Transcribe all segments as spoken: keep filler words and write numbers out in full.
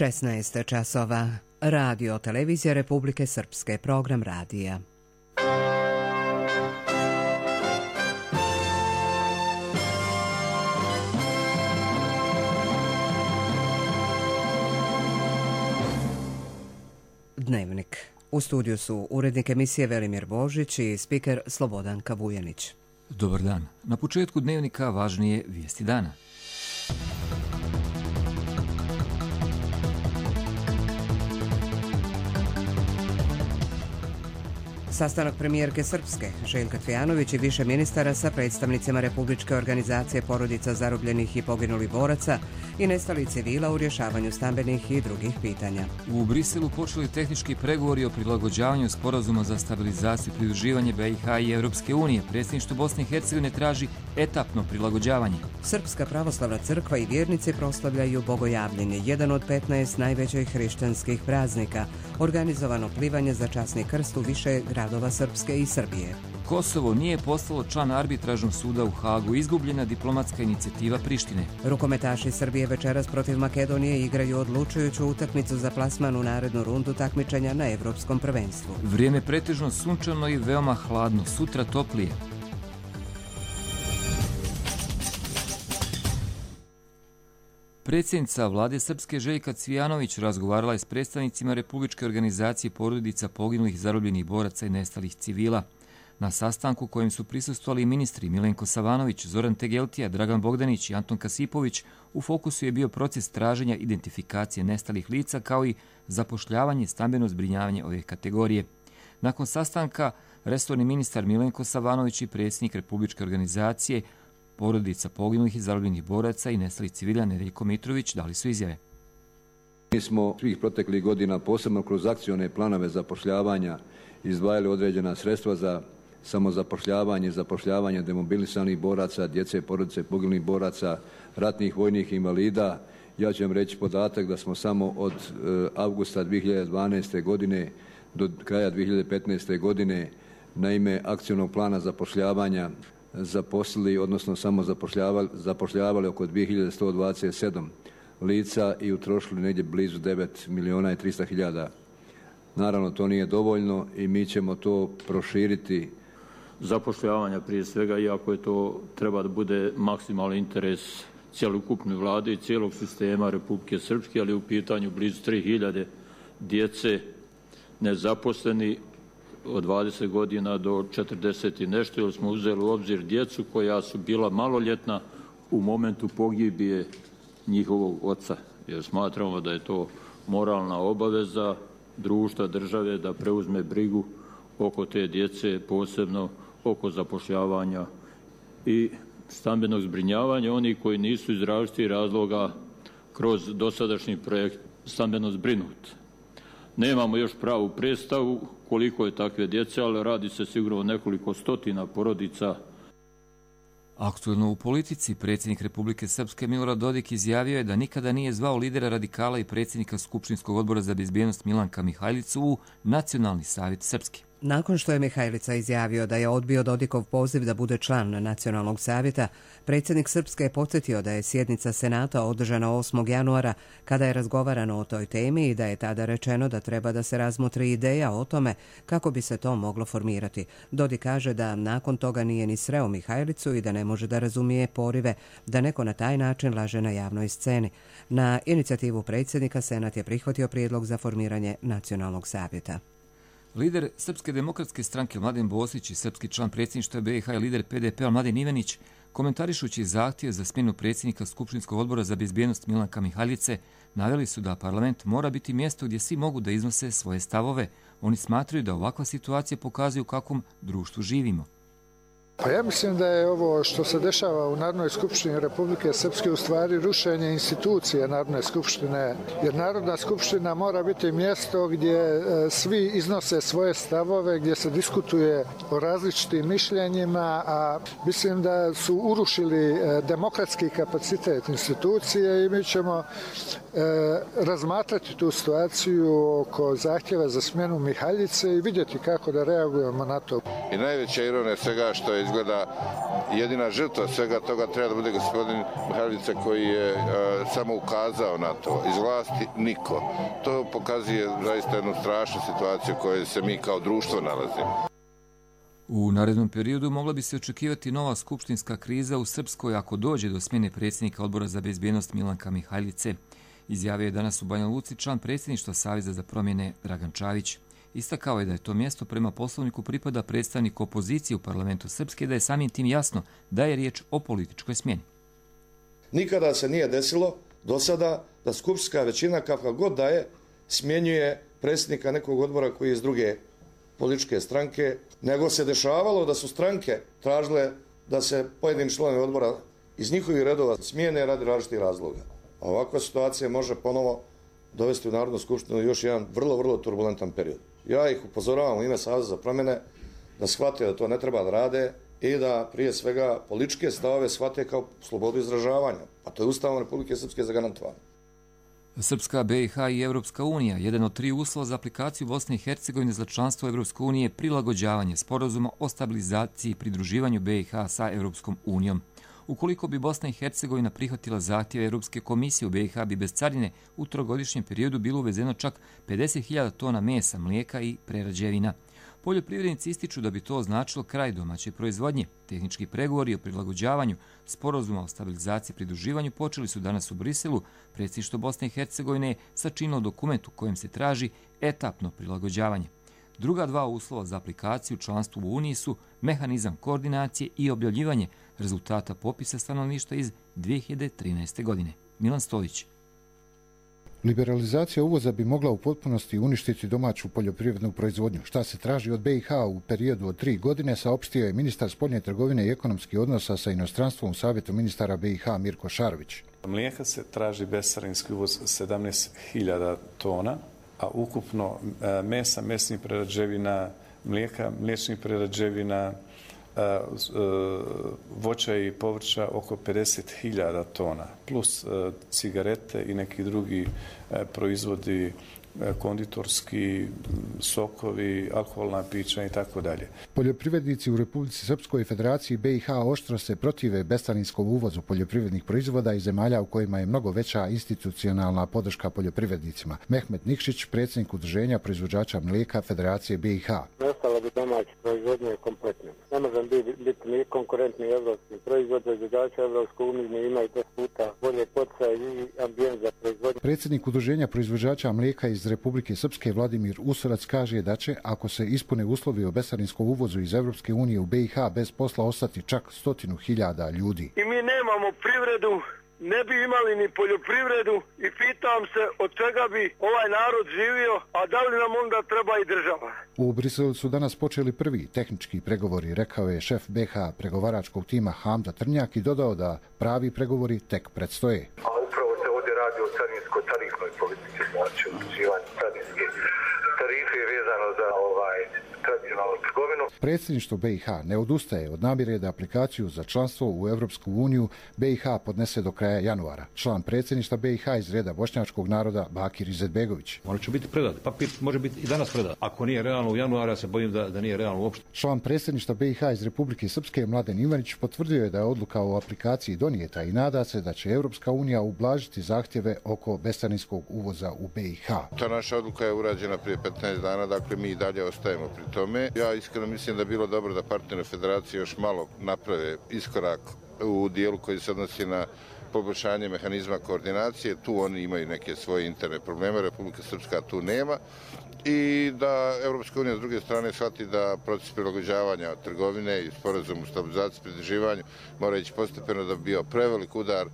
šesnaest časova. Radio Televizija Republike Srpske, program radija. Dnevnik. U studiju su urednik emisije Velimir Božić i spiker Slobodanka Vujanić. Dobar dan. Na početku dnevnika važnije vijesti dana. Sastanak premijerke Srpske, Željka Cvijanović i više ministara sa predstavnicima Republičke organizacije porodica zarobljenih i poginulih boraca i nestalih civila u rješavanju stambenih i drugih pitanja. U Briselu počeli tehnički pregovori o prilagođavanju sporazuma za stabilizaciju i pridruživanje B i H i Europske unije. Predsjedništvo Bosne i Hercegovine traži etapno prilagođavanje. Srpska pravoslavna crkva i vjernici proslavljaju Bogojavljenje, jedan od petnaest najvećih hrišćanskih praznika, organizovano plivanje za časni krst u više gradova Srpske i Srbije. Kosovo nije postalo član arbitražnog suda u Hagu, izgubljena diplomatska inicijativa Prištine. Rukometaši Srbije večeras protiv Makedonije igraju odlučujuću utakmicu za plasman u narednu rundu takmičenja na Evropskom prvenstvu. Vrijeme pretežno sunčano i veoma hladno, sutra toplije. Predsjednica vlade Srpske Željka Cvijanović razgovarala je s predstavnicima Republičke organizacije porodica poginulih, zarobljenih boraca i nestalih civila. Na sastanku kojem su prisustvovali ministri Milenko Savanović, Zoran Tegeltija, Dragan Bogdanić i Anton Kasipović, u fokusu je bio proces traženja identifikacije nestalih lica kao i zapošljavanje i stambeno zbrinjavanje ove kategorije. Nakon sastanka, resorni ministar Milenko Savanović i predsjednik Republičke organizacije porodica poginulih i zarobljenih boraca i nestalih civila Nedeljko Mitrović dali su izjave. Mi smo svih proteklih godina, posebno kroz akcione planove zapošljavanja, izdvajali određena sredstva za samozapošljavanje, zapošljavanje demobilisanih boraca, djece, porodice poginulih boraca, ratnih vojnih invalida. Ja ću vam reći podatak da smo samo od avgusta dvije hiljade dvanaeste. godine do kraja dvije hiljade petnaeste. godine na ime akcionog plana zapošljavanja zaposlili, odnosno samo zapošljavali, zapošljavali oko dvije hiljade sto dvadeset sedam lica i utrošili negdje blizu devet milijuna i trista hiljada. Naravno, to nije dovoljno i mi ćemo to proširiti. Zapošljavanja prije svega, iako je to treba da bude maksimalni interes cjelokupne vlade i cijelog sistema Republike Srpske, ali u pitanju blizu tri hiljade djece nezaposleni od dvadeset godina do četrdeset i nešto, jer smo uzeli u obzir djecu koja su bila maloljetna u momentu pogibije njihovog oca. Jer smatramo da je to moralna obaveza društva, države da preuzme brigu oko te djece, posebno oko zapošljavanja i stambenog zbrinjavanja onih koji nisu iz različitih razloga kroz dosadašnji projekt stambeno zbrinut. Nemamo još pravu predstavu koliko je takve djece, ali radi se sigurno o nekoliko stotina porodica. Aktuelno u politici, predsjednik Republike Srpske Milorad Dodik izjavio je da nikada nije zvao lidera radikala i predsjednika Skupštinskog odbora za bezbjednost Milanka Mihajlicu u Nacionalni savjet Srpske. Nakon što je Mihajlica izjavio da je odbio Dodikov poziv da bude član Nacionalnog savjeta, predsjednik Srpske je podsjetio da je sjednica Senata održana osmog januara kada je razgovarano o toj temi i da je tada rečeno da treba da se razmotri ideja o tome kako bi se to moglo formirati. Dodik kaže da nakon toga nije ni sreo Mihajlicu i da ne može da razumije porive da neko na taj način laže na javnoj sceni. Na inicijativu predsjednika Senat je prihvatio prijedlog za formiranje Nacionalnog savjeta. Lider Srpske demokratske stranke Mladen Bosić i srpski član predsjedništva B i H i lider P D P-a Mladen Ivanić, komentarišući zahtjev za smjenu predsjednika Skupštinskog odbora za bezbjednost Milanka Mihajlice, naveli su da parlament mora biti mjesto gdje svi mogu da iznose svoje stavove. Oni smatraju da ovakva situacija pokazuje u kakvom društvu živimo. Pa ja mislim da je ovo što se dešava u Narodnoj skupštini Republike Srpske u stvari rušenje institucije Narodne skupštine, jer Narodna skupština mora biti mjesto gdje svi iznose svoje stavove, gdje se diskutuje o različitim mišljenjima, a mislim da su urušili demokratski kapacitet institucije i mi ćemo razmatrati tu situaciju oko zahtjeva za smjenu Mihajlice i vidjeti kako da reagujemo na to. I najveća ironija svega što je izgleda jedina žrtva svega toga treba da bude gospodin Mihajlica koji je a, samo ukazao na to. Iz vlasti niko. To pokazuje zaista jednu strašnu situaciju u kojoj se mi kao društvo nalazimo. U narednom periodu mogla bi se očekivati nova skupštinska kriza u Srpskoj ako dođe do smjene predsjednika Odbora za bezbjednost Milanka Mihajlice. Izjavio je danas u Banja Luci član predsjedništva Saveza za promjene Dragan Čavić. Istakao je da je to mjesto prema poslovniku pripada predstavniku opozicije u parlamentu Srpske, da je samim tim jasno da je riječ o političkoj smjeni. Nikada se nije desilo do sada da skupštinska većina, kakva god da je, smjenjuje predsjednika nekog odbora koji je iz druge političke stranke, nego se dešavalo da su stranke tražile da se pojedini članovi odbora iz njihovih redova smijene radi različitih razloga. A ovakva situacija može ponovo dovesti u Narodnu skupštinu još jedan vrlo, vrlo turbulentan period. Ja ih upozoravam u ime Saveza za promjene da shvate da to ne treba da rade i da prije svega političke stavove shvate kao slobodu izražavanja. A to je Ustavom Republike Srpske zagarantovano. Srpska, B i H i Evropska unija, jedan od tri uslova za aplikaciju Bosne i Hercegovine za članstvo Evropske unije je prilagođavanje sporazuma o stabilizaciji i pridruživanju B i H sa Evropskom unijom. Ukoliko bi Bosna i Hercegovina prihvatila zahtjeve Europske komisije, u B i H bi bez carine u trogodišnjem periodu bilo uvezeno čak pedeset hiljada tona mesa, mlijeka i prerađevina. Poljoprivrednici ističu da bi to označilo kraj domaće proizvodnje. Tehnički pregovori o prilagođavanju sporazuma o stabilizaciji i pridruživanju počeli su danas u Briselu. Predsjedništvo Bosne i Hercegovine je sačinilo dokument u kojem se traži etapno prilagođavanje. Druga dva uslova za aplikaciju članstvu u Uniji su mehanizam koordinacije i objavljivanje rezultata popisa stanovništva iz dvije hiljade trinaeste. godine. Milan Stolić. Liberalizacija uvoza bi mogla u potpunosti uništiti domaću poljoprivrednu proizvodnju. Šta se traži od B i H u periodu od tri godine, saopštio je ministar spoljne trgovine i ekonomskih odnosa sa inostranstvom u Savjetu ministara B i H Mirko Šarović. Mlijeka se traži bescarinski uvoz sedamnaest hiljada tona, a ukupno mesa, mesnih prerađevina, mlijeka, mliječnih prerađevina, voća i povrća oko pedeset hiljada tona, plus cigarete i neki drugi proizvodi, konditorski, sokovi, alkoholna pića i tako dalje. Poljoprivrednici u Republici Srpskoj i Federaciji B i H oštro se protive bescarinskom uvozu poljoprivrednih proizvoda iz zemalja u kojima je mnogo veća institucionalna podrška poljoprivrednicima. Mehmet Nikšić, predsjednik udruženja proizvođača mlijeka Federacije B i H. Ostalo bi domaće proizvodnje kompletno. Ne možemo biti ni konkurentni evropski proizvod, proizvođača Evropske unije imaju deset puta bolje poticaje i ambijent za proizvodnju. Predsjednik udruženja proizvođača mlijeka iz Republike Srpske Vladimir Usorac kaže da će, ako se ispune uslovi o bescarinskom uvozu iz Evropske unije u B i H, bez posla ostati čak stotinu hiljada ljudi. I mi nemamo privredu, ne bi imali ni poljoprivredu i pitam se od čega bi ovaj narod živio, a da li nam onda treba i država. U Briselu su danas počeli prvi tehnički pregovori, rekao je šef B i H pregovaračkog tima Hamza Trnjak i dodao da pravi pregovori tek predstoje. A upravo se ovdje radi o carinsko-tarifnoj politici, znači utvrđivanje carinske tarife vezano za ovaj tradicionalnu trgovinu. Predsjedništvo B i H ne odustaje od namjere da aplikaciju za članstvo u Evropsku uniju B i H podnese do kraja januara. Član predsjedništva B i H iz reda bošnjačkog naroda Bakir Izetbegović. Ono će biti predat. Papir može biti i danas predat. Ako nije realno u januaru, ja se bojim da, da nije realno uopšte. Član predsjedništva B i H iz Republike Srpske Mladen Ivanić potvrdio je da je odluka o aplikaciji donijeta i nada se da će Evropska unija ublažiti zahtjeve oko bescarinskog uvoza u B i H. Ta naša odluka je urađena prije petnaest dana, dakle mi i dalje ostajemo pri tome. Ja iskreno mislim da je bilo dobro da partneri federacije još malo naprave iskorak u dijelu koji se odnosi na poboljšanje mehanizma koordinacije. Tu oni imaju neke svoje interne probleme, Republika Srpska tu nema. I da Evropska unija s druge strane shvati da proces prilagođavanja trgovine i sporazum u stabilizaciji i pridruživanju mora ići postepeno da bi bio prevelik udar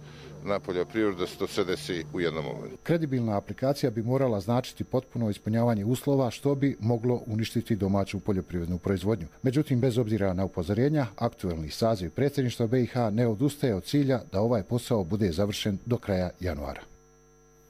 na poljoprivredu da se to sve desi u jednom momentu. Kredibilna aplikacija bi morala značiti potpuno ispunjavanje uslova što bi moglo uništiti domaću poljoprivrednu proizvodnju. Međutim, bez obzira na upozorenja, aktuelni saziv predsjedništva B i H ne odustaje od cilja da ovaj posao bude završen do kraja januara.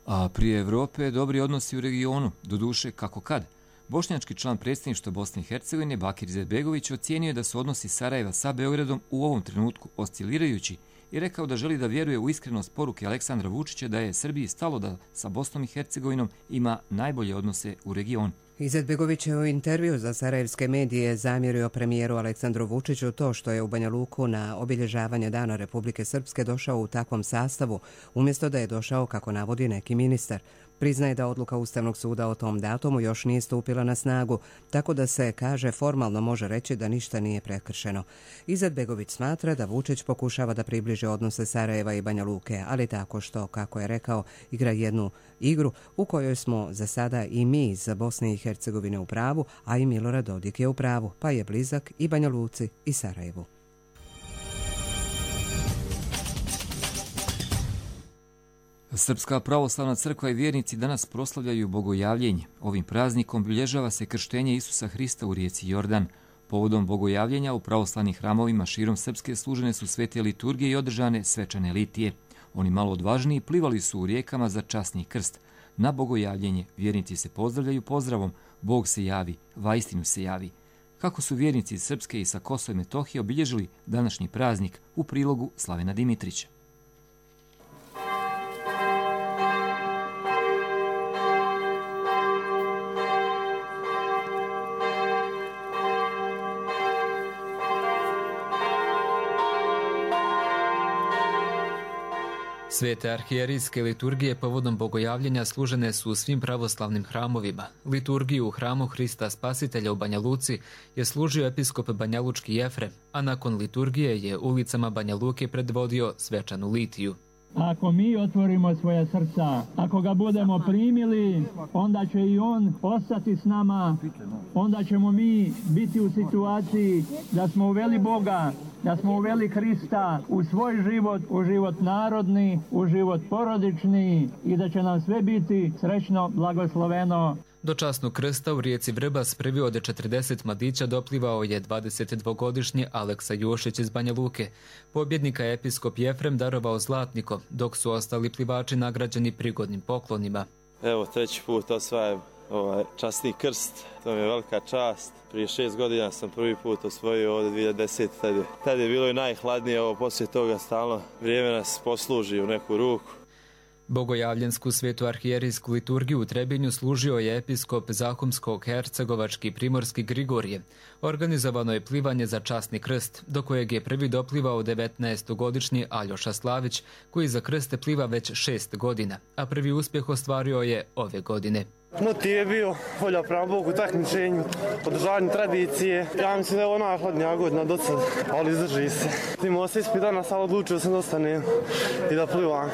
A prije Evrope dobri odnosi u regionu, doduše kako kad. Bošnjački član predsjedništva Bosne i Hercegovine Bakir Izetbegović ocijenio je da su odnosi Sarajeva sa Beogradom u ovom trenutku oscilirajući i rekao da želi da vjeruje u iskrenost poruke Aleksandra Vučića da je Srbiji stalo da sa Bosnom i Hercegovinom ima najbolje odnose u regionu. Izetbegović je u intervju za sarajevske medije zamjerio premijeru Aleksandru Vučiću to što je u Banja Luku na obilježavanje Dana Republike Srpske došao u takvom sastavu, umjesto da je došao, kako navodi neki ministar. Priznaje da odluka Ustavnog suda o tom datumu još nije stupila na snagu, tako da se, kaže, formalno može reći da ništa nije prekršeno. Izetbegović smatra da Vučić pokušava da približi odnose Sarajeva i Banja Luke, ali tako što, kako je rekao, igra jednu igru u kojoj smo za sada i mi iz Bosne i Hercegovine u pravu, a i Milorad Dodik je u pravu, pa je blizak i Banja Luci i Sarajevu. Srpska pravoslavna crkva i vjernici danas proslavljaju bogojavljenje. Ovim praznikom obilježava se krštenje Isusa Hrista u rijeci Jordan. Povodom bogojavljenja u pravoslavnim hramovima širom Srpske služene su svete liturgije i održane svečane litije. Oni malo odvažniji plivali su u rijekama za časni krst. Na bogojavljenje vjernici se pozdravljaju pozdravom Bog se javi, vaistinu se javi. Kako su vjernici iz Srpske i sa Kosova i Metohije obilježili današnji praznik, u prilogu Slavena Dimitrića. Svete arhijerijske liturgije povodom bogojavljenja služene su u svim pravoslavnim hramovima. Liturgiju u hramu Hrista Spasitelja u Banja Luci je služio episkop banjalučki Jefrem, a nakon liturgije je ulicama Banja Luke predvodio svečanu litiju. Ako mi otvorimo svoje srca, ako ga budemo primili, onda će i on ostati s nama, onda ćemo mi biti u situaciji da smo uveli Boga, da smo uveli Hrista u svoj život, u život narodni, u život porodični i da će nam sve biti srećno, blagosloveno. Do časnog krsta u rijeci Vrbas prvi od četrdeset mladića doplivao je dvadesetdvogodišnji Aleksa Jošić iz Banja Luke. Pobjednika je episkop Jefrem darovao zlatnikom, dok su ostali plivači nagrađeni prigodnim poklonima. Evo, treći put osvajem ovaj časni krst, to mi je velika čast. Prije šest godina sam prvi put osvojio ovdje dvije hiljade desete. Tad je, tad je bilo i najhladnije, ovo poslije toga stalno vrijeme nas posluži u neku ruku. Bogojavljensku svetu arhijerijsku liturgiju u Trebinju služio je episkop Zahumsko-hercegovački primorski Grigorije. Organizovano je plivanje za časni krst, do kojeg je prvi doplivao devetnaestogodišnji Aljoša Slavić, koji za krste pliva već šest godina, a prvi uspjeh ostvario je ove godine. Motiv je bio volja prema Bogu, takmičenju, održavanju tradicije. Ja mislim da je ovo najhladnija godina do sad, ali izdrži se. Imao se ispit danas, ali odlučio sam da ostanem i da plivam.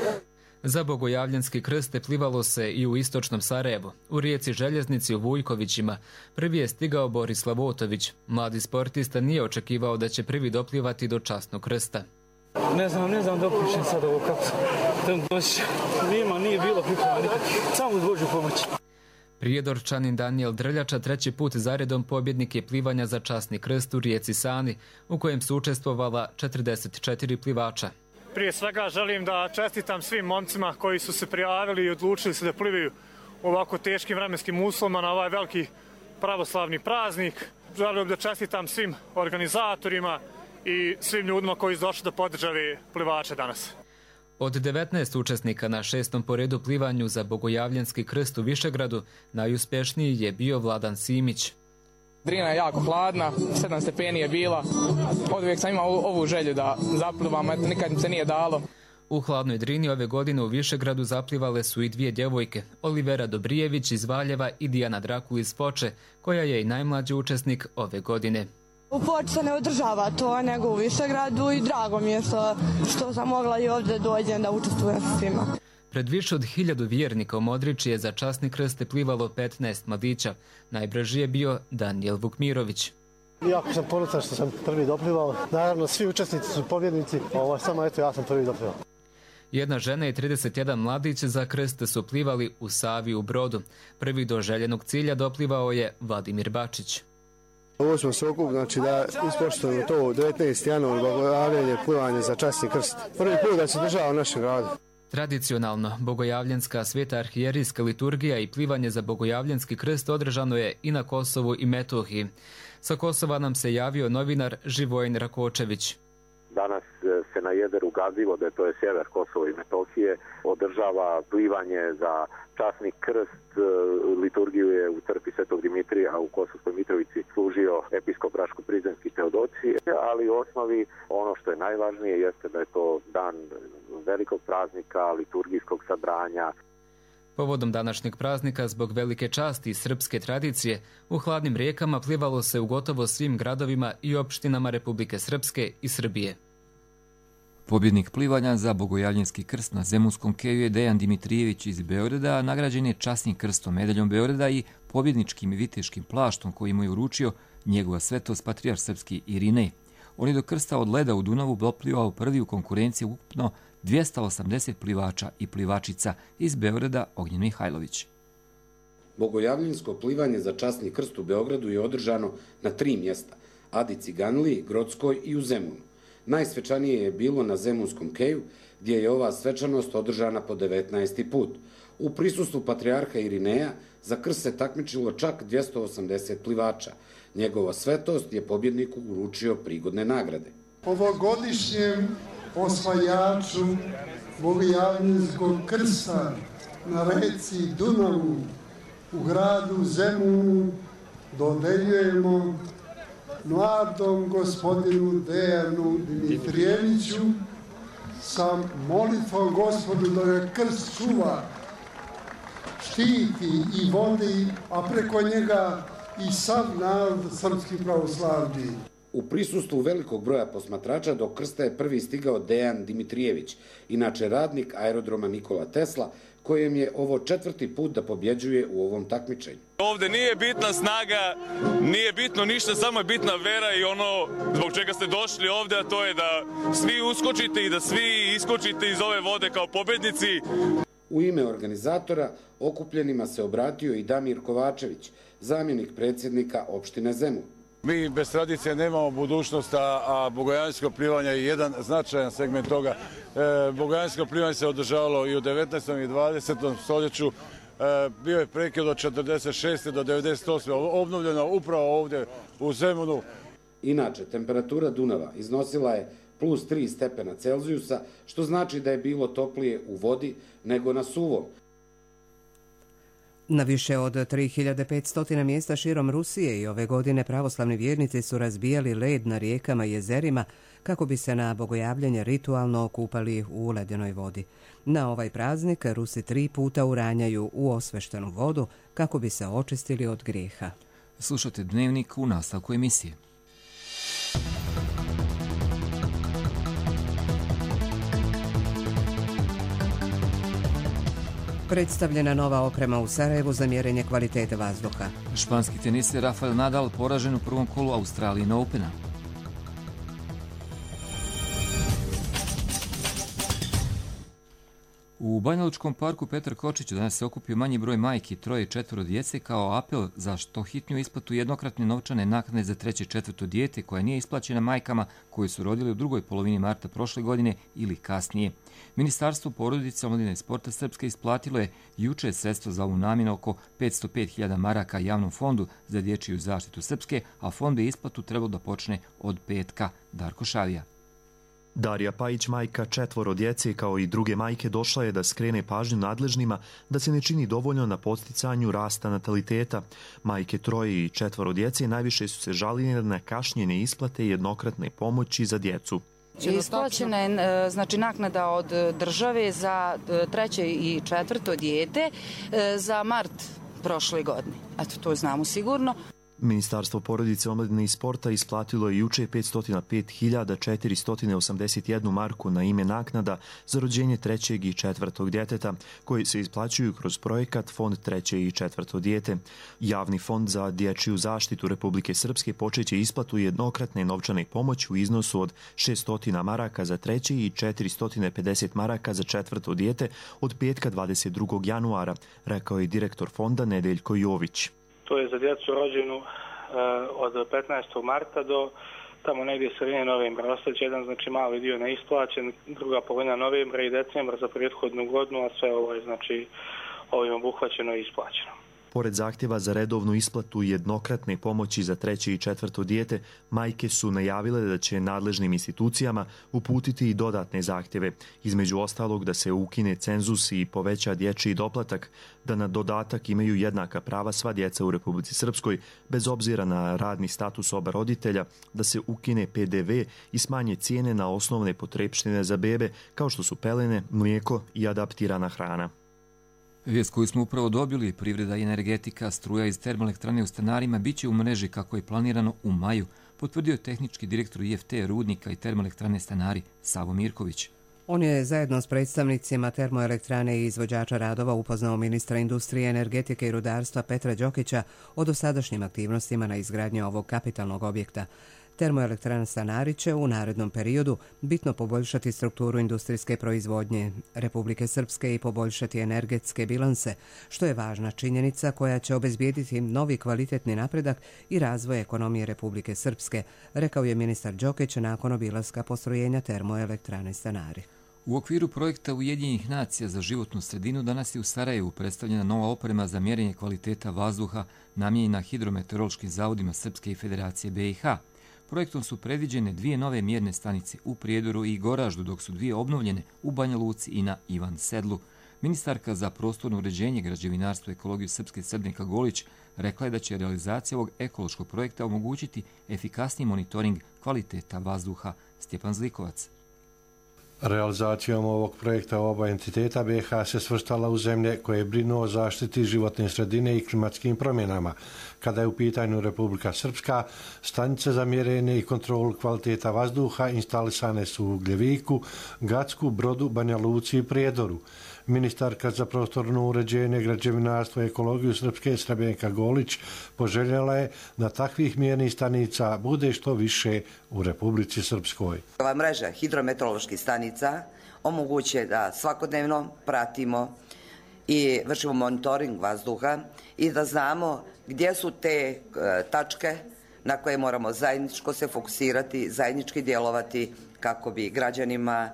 Za bogojavljanski krst plivalo se i u istočnom Sarajevu, u rijeci Željeznici u Vujkovićima. Prvi je stigao Borislav Otović. Mladi sportista nije očekivao da će prvi doplivati do časnog krsta. Ne znam, ne znam da opišem sad ovo kako sam došao. Nima, nije bilo priprema, samo uz Božju pomoć. Prijedorčanin Danijel Drljača treći put zaredom pobjednik je plivanja za časni krst u rijeci Sani, u kojem su učestvovala četrdeset četiri plivača. Prije svega želim da čestitam svim momcima koji su se prijavili i odlučili se da plivaju u ovako teškim vremenskim uslovima na ovaj veliki pravoslavni praznik. Želim da čestitam svim organizatorima i svim ljudima koji su došli da podržave plivače danas. Od devetnaest učesnika na šestom po redu plivanju za bogojavljanski krst u Višegradu, najuspješniji je bio Vladan Simić. Drina je jako hladna, sedam stepeni je bila. Od uvijek sam imao ovu želju da zaplivam, a nikad mi se nije dalo. U hladnoj Drini ove godine u Višegradu zaplivale su i dvije djevojke, Olivera Dobrijević iz Valjeva i Dijana Drakul iz Foče, koja je i najmlađi učesnik ove godine. U Foči se ne održava to, nego u Višegradu i drago mi je što, što sam mogla i ovdje dođem da učestvujem sa svima. Pred više od hiljadu vjernika u Modriči je za časni krst plivalo petnaest mladića. Najbrži je bio Danijel Vukmirović. Jako sam ponosan što sam prvi doplivao. Naravno, svi učesnici su pobjednici, ovo samo eto ja sam prvi doplivao. Jedna žena i trideset jedan mladić za krst su plivali u Savi u Brodu. Prvi do željenog cilja doplivao je Vladimir Bačić. Ovo smo se okup, znači da ispoštujemo to devetnaesti januar bogojavljenje plivanje za časni krst. Prvi put da se država u našem gradu. Tradicionalno, bogojavljanska sveta arhijerijska liturgija i plivanje za bogojavljanski krst održano je i na Kosovu i Metohiji. Sa Kosova nam se javio novinar Živojin Rakočević. Danas se na Jederu Gazivode, to je sjever Kosova i Metohije, održava plivanje za časni krst. Liturgiju je u crkvi Svetog Dimitrija u Kosovskoj Mitrovici služio episkop Raško-Prizrenski Teodosije, ali u osnovi ono što je najvažnije jeste da je to dan velikog praznika, liturgijskog sabranja. Povodom današnjeg praznika, zbog velike časti i srpske tradicije, u hladnim rijekama plivalo se u gotovo svim gradovima i opštinama Republike Srpske i Srbije. Pobjednik plivanja za Bogojavljenski krst na Zemunskom keju je Dejan Dimitrijević iz Beograda, a nagrađen je časnim krstom medaljom Beograda i pobjedničkim viteškim plaštom koji mu je uručio njegova svetost patrijarh srpski Irinej. On je do krsta od leda u Dunavu doplivao prvi u konkurenciji ukupno dvjesto osamdeset plivača i plivačica iz Beograda Ognjen Mihajlović. Bogojavljensko plivanje za časni krst u Beogradu je održano na tri mjesta, Adi Ciganliji, Grockoj i u Zemunu. Najsvečanije je bilo na Zemunskom keju, gdje je ova svečanost održana po devetnaesti put. U prisustvu patrijarha Irineja za krst se takmičilo čak dvjesto osamdeset plivača. Njegova svetost je pobjedniku uručio prigodne nagrade. Ovogodišnjem osvajaču Bogojavljenskog krsta na reci Dunavu u gradu Zemunu dodeljujemo mladom gospodinu Dejanu Dimitrijeviću sa molitvom Gospodu da ga krst čuva, štiti i vodi, a preko njega i sav narod srpski pravoslavni. U prisustvu velikog broja posmatrača do krsta je prvi stigao Dejan Dimitrijević, inače radnik aerodroma Nikola Tesla, kojem je ovo četvrti put da pobjeđuje u ovom takmičenju. Ovdje nije bitna snaga, nije bitno ništa, samo je bitna vera i ono zbog čega ste došli ovdje, a to je da svi uskočite i da svi iskočite iz ove vode kao pobjednici. U ime organizatora okupljenima se obratio i Damir Kovačević, zamjenik predsjednika opštine Zemun. Mi bez tradicije nemamo budućnost, a bogojavljansko plivanje je jedan značajan segment toga. E, bogojavljansko plivanje se održavalo i u devetnaestom i dvadesetom stoljeću. E, bio je prekid od četrdeset šeste do devedeset osme obnovljeno upravo ovdje u Zemunu. Inače, temperatura Dunava iznosila je plus tri stepena Celzijusa, što znači da je bilo toplije u vodi nego na suvom. Na više od tri hiljade petsto mjesta širom Rusije i ove godine pravoslavni vjernici su razbijali led na rijekama i jezerima kako bi se na bogojavljanje ritualno okupali u ledenoj vodi. Na ovaj praznik Rusi tri puta uranjaju u osveštenu vodu kako bi se očistili od grijeha. Slušate Dnevnik u nastavku emisije. Predstavljena nova oprema u Sarajevu za mjerenje kvalitete vazduha. Španski teniser Rafael Nadal poražen u prvom kolu Australian Opena. U Banjalučkom parku Petar Kočić danas se okupio manji broj majki, troje i četvoro djece kao apel za što hitniju isplatu jednokratne novčane naknade za treće i četvrto dijete koja nije isplaćena majkama koje su rodile u drugoj polovini marta prošle godine ili kasnije. Ministarstvo porodice, omladine i sporta Srpske isplatilo je juče sredstvo za ovu namjenu oko petsto pet hiljada maraka javnom fondu za dječju zaštitu Srpske, a fond bi isplatu trebalo da počne od petka. Darko Šavija. Darija Pajić, majka četvoro djece, kao i druge majke, došla je da skrene pažnju nadležnima da se ne čini dovoljno na podsticanju rasta nataliteta. Majke troje i četvoro djece najviše su se žalile na kašnjene isplate jednokratne pomoći za djecu. Isplaćena je znači, naknada od države za treće i četvrto dijete za mart prošle godine. Eto, to znamo sigurno. Ministarstvo porodice, omladine i sporta isplatilo je juče petsto pet hiljada četiristo osamdeset jednu marku na ime naknada za rođenje trećeg i četvrtog djeteta, koji se isplaćuju kroz projekat Fond treće i četvrto dijete. Javni fond za dječju zaštitu Republike Srpske počeće isplatu jednokratne novčane pomoći u iznosu od šesto maraka za treće i četiristo pedeset maraka za četvrto dijete od petka dvadeset drugog januara, rekao je direktor fonda Nedeljko Jović. To je za djecu rođenu uh, od petnaestog marta do tamo negdje sredine novembra. Ostaće jedan znači mali dio neisplaćen, druga polovina novembra i decembra za prethodnu godinu, a sve ovo je znači ovim obuhvaćeno i isplaćeno. Pored zahtjeva za redovnu isplatu jednokratne pomoći za treće i četvrto dijete, majke su najavile da će nadležnim institucijama uputiti i dodatne zahtjeve, između ostalog da se ukine cenzus i poveća dječji doplatak, da na dodatak imaju jednaka prava sva djeca u Republici Srpskoj, bez obzira na radni status oba roditelja, da se ukine pe de ve i smanje cijene na osnovne potrepštine za bebe, kao što su pelene, mlijeko i adaptirana hrana. Vijest koju smo upravo dobili, privreda i energetika, struja iz termoelektrane u Stanarima biće u mreži kako je planirano u maju, potvrdio je tehnički direktor i ef te Rudnika i termoelektrane Stanari Savo Mirković. On je zajedno s predstavnicima termoelektrane i izvođača radova upoznao ministra industrije, energetike i rudarstva Petra Đokića o dosadašnjim aktivnostima na izgradnji ovog kapitalnog objekta. Termoelektrana Stanari će u narednom periodu bitno poboljšati strukturu industrijske proizvodnje Republike Srpske i poboljšati energetske bilanse, što je važna činjenica koja će obezbijediti novi kvalitetni napredak i razvoj ekonomije Republike Srpske, rekao je ministar Đokić nakon obilaska postrojenja termoelektrane Stanari. U okviru projekta Ujedinjenih nacija za životnu sredinu danas je u Sarajevu predstavljena nova oprema za mjerenje kvaliteta vazduha namijenjena hidrometeorološkim zavodima Srpske i Federacije be i ha. Projektom su predviđene dvije nove mjerne stanice u Prijedoru i Goraždu, dok su dvije obnovljene u Banja Luci i na Ivan Sedlu. Ministarka za prostorno uređenje, građevinarstvo i ekologiju Srpske Srebrnjka Golić rekla je da će realizacija ovog ekološkog projekta omogućiti efikasniji monitoring kvaliteta vazduha. Stjepan Zlikovac. Realizacijom ovog projekta oba entiteta be i ha se svrstala u zemlje koje brinu o zaštiti životne sredine i klimatskim promjenama. Kada je u pitanju Republika Srpska, stanice za mjerenje i kontrolu kvaliteta vazduha instalisane su u Gljeviku, Gacku, Brodu, Banja Luci i Prijedoru. Ministarka za prostorno uređenje, građevinarstvo i ekologiju Srpske Srebrnjka Golić poželjela je da takvih mjernih stanica bude što više u Republici Srpskoj. Ova mreža hidrometeoroloških stanica omogućuje da svakodnevno pratimo i vršimo monitoring vazduha i da znamo gdje su te tačke na koje moramo zajedničko se fokusirati, zajednički djelovati kako bi građanima,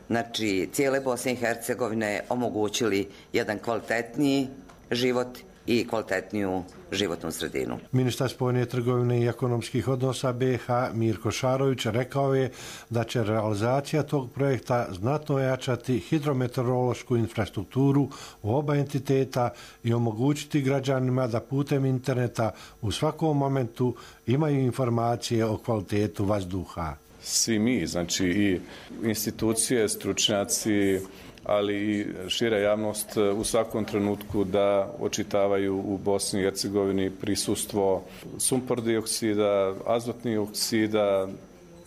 znači cijele Bosne i Hercegovine, omogućili jedan kvalitetniji život i kvalitetniju životnu sredinu. Ministar spoljne trgovine i ekonomskih odnosa be i ha Mirko Šarović rekao je da će realizacija tog projekta znatno ojačati hidrometeorološku infrastrukturu u oba entiteta i omogućiti građanima da putem interneta u svakom momentu imaju informacije o kvalitetu vazduha. Svi mi, znači i institucije, stručnjaci, ali i šira javnost u svakom trenutku da očitavaju u Bosni i Hercegovini prisustvo sumpor dioksida, azotnih oksida,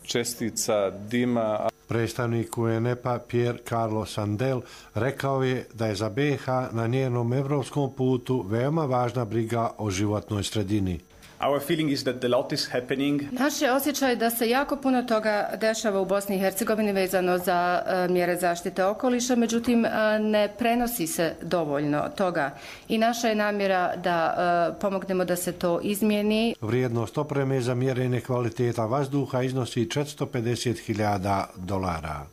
čestica, dima. Predstavnik u en e pe a Pier Carlo Sandel rekao je da je za be i ha na njenom evropskom putu veoma važna briga o životnoj sredini. Our feeling is that a lot is happening. Naš je osjećaj da se jako puno toga dešava u Bosni i Hercegovini vezano za uh, mjere zaštite okoliša, međutim uh, ne prenosi se dovoljno toga i naša je namjera da uh, pomognemo da se to izmijeni. Vrijednost opreme za mjerenje kvaliteta vazduha iznosi četiristo pedeset hiljada dolara.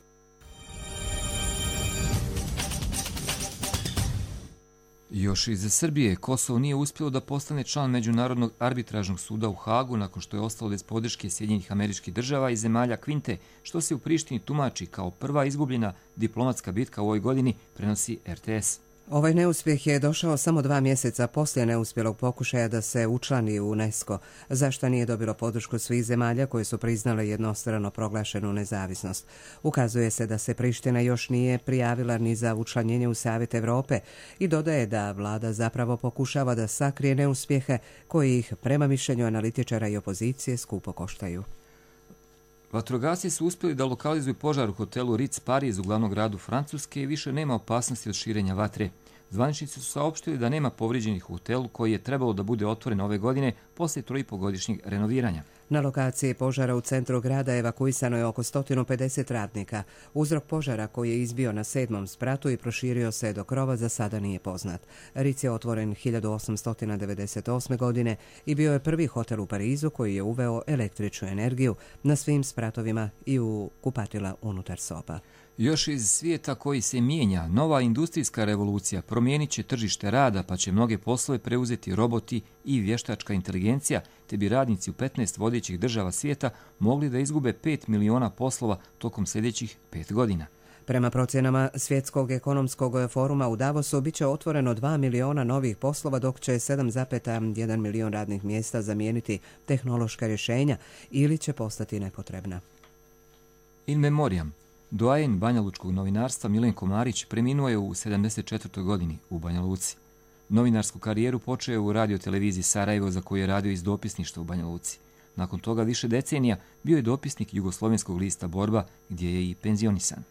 Još iz Srbije, Kosovo nije uspjelo da postane član Međunarodnog arbitražnog suda u Hagu nakon što je ostalo bez podrške Sjedinjenih Američkih Država i zemalja Kvinte, što se u Prištini tumači kao prva izgubljena diplomatska bitka u ovoj godini, prenosi er te es. Ovaj neuspjeh je došao samo dva mjeseca poslije neuspjelog pokušaja da se učlani u UNESCO, zašto nije dobilo podršku svih zemalja koje su priznale jednostrano proglašenu nezavisnost. Ukazuje se da se Priština još nije prijavila ni za učlanjenje u Savjet Evrope i dodaje da vlada zapravo pokušava da sakrije neuspjehe koji ih, prema mišljenju analitičara i opozicije, skupo koštaju. Vatrogasci su uspjeli da lokalizuju požar u hotelu Ritz Paris u glavnom gradu Francuske i više nema opasnosti od širenja vatre. Zvaničnici su saopštili da nema povrijeđenih u hotelu koji je trebalo da bude otvoren ove godine poslije troipogodišnjeg renoviranja. Na lokaciji požara u centru grada evakuisano je oko sto pedeset radnika. Uzrok požara koji je izbio na sedmom spratu i proširio se do krova za sada nije poznat. Ritz je otvoren hiljadu osamsto devedeset osme. godine i bio je prvi hotel u Parizu koji je uveo električnu energiju na svim spratovima i u kupatila unutar soba. Još iz svijeta koji se mijenja, nova industrijska revolucija promijenit će tržište rada, pa će mnoge poslove preuzeti roboti i vještačka inteligencija, te bi radnici u petnaest vodećih država svijeta mogli da izgube pet miliona poslova tokom sljedećih pet godina. Prema procjenama Svjetskog ekonomskog foruma u Davosu bit će otvoreno dva miliona novih poslova, dok će sedam zarez jedan milion radnih mjesta zamijeniti tehnološka rješenja ili će postati nepotrebna. In memoriam. Doajen banjalučkog novinarstva Milenko Marić preminuo je u sedamdeset četvrtoj godini u Banja Luci. Novinarsku karijeru počeo je u radioteleviziji Sarajevo, za koju je radio iz dopisništva u Banja Luci. Nakon toga više decenija bio je dopisnik jugoslovenskog lista Borba, gdje je i penzionisan.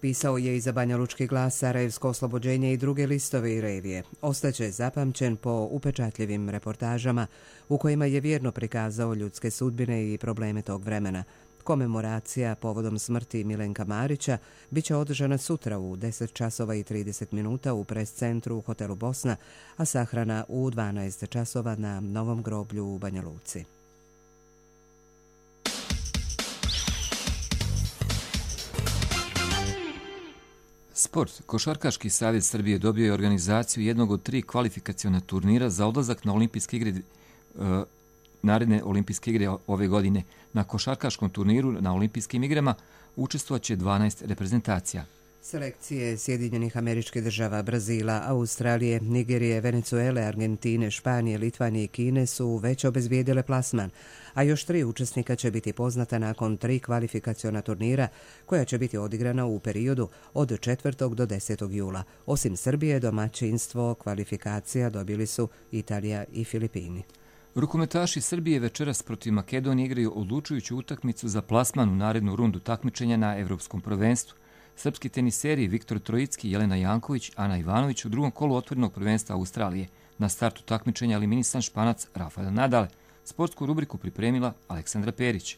Pisao je i za Banjalučki glas, Sarajevsko oslobođenje i druge listove i revije. Ostaće zapamćen po upečatljivim reportažama u kojima je vjerno prikazao ljudske sudbine i probleme tog vremena. Komemoracija povodom smrti Milenka Marića bit će održana sutra u deset časova i trideset minuta u pres centru u hotelu Bosna, a sahrana u dvanaest časova na Novom groblju u Banja Luci. Sport. Košarkaški savez Srbije dobio je organizaciju jednog od tri kvalifikaciona turnira za odlazak na olimpijske igre, uh, naredne olimpijske igre ove godine. Na košarkaškom turniru na olimpijskim igrama učestvovaće dvanaest reprezentacija. Selekcije Sjedinjenih Američkih Država, Brazila, Australije, Nigerije, Venecuele, Argentine, Španije, Litvanije i Kine su već obezbijedile plasman, a još tri učesnika će biti poznata nakon tri kvalifikaciona turnira koja će biti odigrana u periodu od četvrtog do desetog jula. Osim Srbije, domaćinstvo kvalifikacija dobili su Italija i Filipini. Rukometaši Srbije večeras protiv Makedonije igraju odlučujuću utakmicu za plasman u narednu rundu takmičenja na Evropskom prvenstvu. Srpski teniseri Viktor Trojicki, Jelena Janković, Ana Ivanović u drugom kolu otvorenog prvenstva Australije. Na startu takmičenja eliminisan Španac Rafael Nadal. Sportsku rubriku pripremila Aleksandra Perić.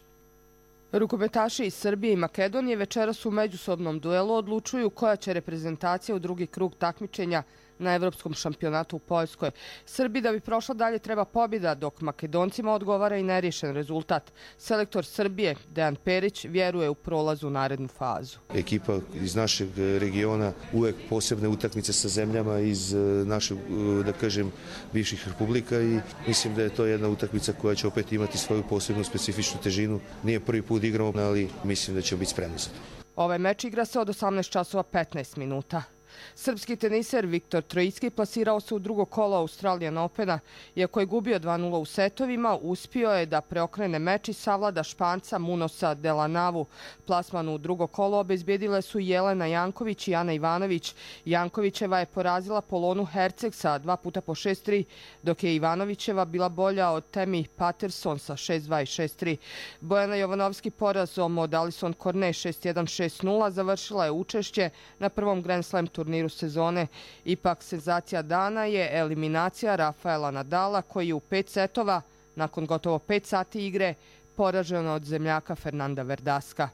Rukometaši iz Srbije i Makedonije večeras u međusobnom duelu odlučuju koja će reprezentacija u drugi krug takmičenja na Evropskom šampionatu u Poljskoj. Srbiji da bi prošla dalje treba pobjeda, dok Makedoncima odgovara i neriješen rezultat. Selektor Srbije, Dejan Perić, vjeruje u prolaz u narednu fazu. Ekipa iz našeg regiona uvek posebne utakmice sa zemljama iz našeg, da kažem, bivših republika i mislim da je to jedna utakmica koja će opet imati svoju posebnu specifičnu težinu. Nije prvi put igramo, ali mislim da će biti spremni za to. Ovaj meč igra se od osamnaest časova petnaest minuta. Srpski teniser Viktor Trojicki plasirao se u drugo kolo Australian Opena. Iako je gubio dva nula u setovima, uspio je da preokrene meč i savlada Španca Munosa Delanavu. Plasman u drugo kolo obezbjedile su Jelena Janković i Ana Ivanović. Jankovićeva je porazila Polonu Herceg sa dva puta po šest tri, dok je Ivanovićeva bila bolja od Temi Patterson sa šest dva i šest tri. Bojana Jovanovski porazom od Alison Cornet šest jedan šest nula završila je učešće na prvom Grand Slam turniru turniru sezone. Ipak senzacija dana je eliminacija Rafaela Nadala, koji je u pet setova, nakon gotovo pet sati igre, poražen od zemljaka Fernanda Verdaska.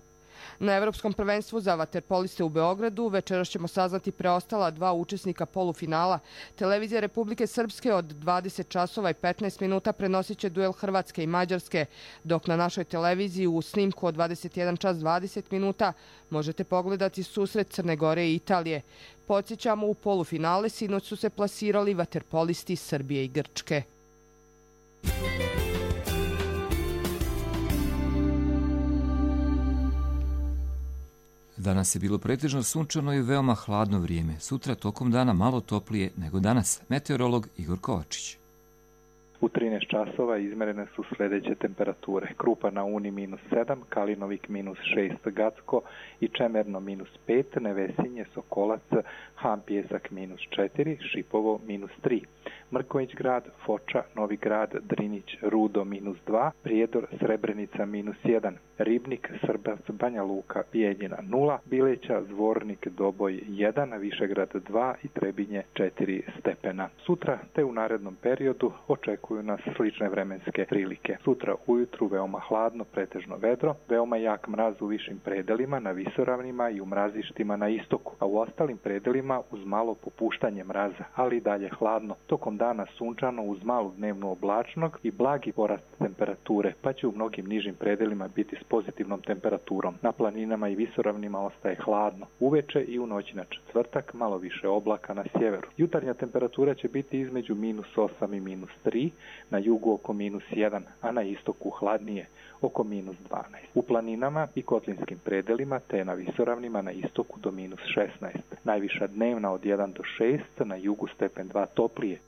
Na Evropskom prvenstvu za vaterpoliste u Beogradu večeras ćemo saznati preostala dva učesnika polufinala. Televizija Republike Srpske od dvadeset časova i petnaest minuta prenosit će duel Hrvatske i Mađarske, dok na našoj televiziji u snimku od dvadeset jedan čas dvadeset minuta možete pogledati susret Crne Gore i Italije. Podsjećamo, u polufinale sinoć su se plasirali vaterpolisti Srbije i Grčke. Danas je bilo pretežno sunčano i veoma hladno vrijeme. Sutra tokom dana malo toplije nego danas. Meteorolog Igor Kovačić. U trinaest časova izmerene su sljedeće temperature. Krupa na Uni minus sedam, Kalinovik minus šest, Gacko i Čemerno minus pet, Nevesinje, Sokolac, Ham Pjesak minus četiri, Šipovo minus tri. Mrković grad, Foča, Novi grad, Drinić, Rudo minus dva, Prijedor, Srebrenica minus jedan, Ribnik, Srbac, Banja Luka, Bijeljina nula, Bileća, Zvornik, Doboj jedan, Višegrad dva i Trebinje četiri stepena. Sutra te u narednom periodu očekuju nas slične vremenske prilike. Sutra ujutru veoma hladno, pretežno vedro, veoma jak mraz u višim predelima, na visoravnima i u mrazištima na istoku, a u ostalim predelima uz malo popuštanje mraza, ali i dalje hladno. Tokom dana sunčano uz malu dnevnu oblačnog i blagi porast temperature, pa će u mnogim nižim predelima biti s pozitivnom temperaturom. Na planinama i visoravnima ostaje hladno. Uveče i u noći na četvrtak malo više oblaka na sjeveru. Jutarnja temperatura će biti između minus osam i minus tri, na jugu oko minus jedan, a na istoku hladnije oko minus dvanaest. U planinama i kotlinskim predelima te na visoravnima na istoku do minus šesnaest. Najviša dnevna od jedan do šest, na jugu stepen dva toplije.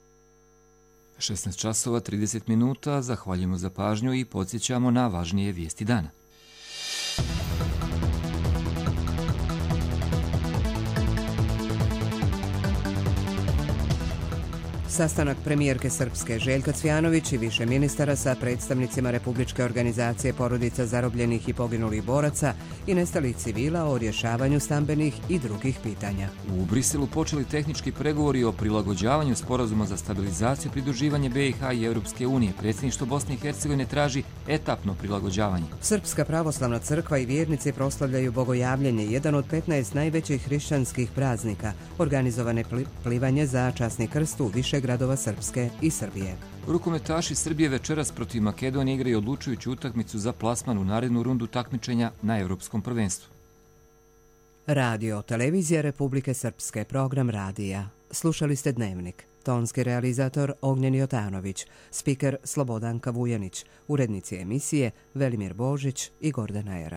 šesnaest časova trideset minuta, zahvaljujemo za pažnju i podsjećamo na važnije vijesti dana. Sastanak premijerke Srpske Željka Cvijanović i više ministara sa predstavnicima Republičke organizacije porodica zarobljenih i poginulih boraca i nestalih civila o rješavanju stambenih i drugih pitanja. U Briselu počeli tehnički pregovori o prilagođavanju sporazuma za stabilizaciju i pridruživanje B i H i Europske unije. Predsjedništvo Bosne i Hercegovine traži etapno prilagođavanje. Srpska pravoslavna crkva i vjernici proslavljaju bogojavljenje, jedan od petnaest najvećih hrišćanskih praznika, organizovane plivanje za časni krst u više gradova Srpske i Srbije. Rukometaši Srbije večeras protiv Makedonije igraju odlučujuću utakmicu za plasman u narednu rundu takmičenja na Europskom prvenstvu. Radio Televizija Republike Srpske, program radija. Slušali ste Dnevnik. Tonski realizator Ognjen Jotanović, spiker Slobodanka Vujanić, urednici emisije Velimir Božić i Gordana Era.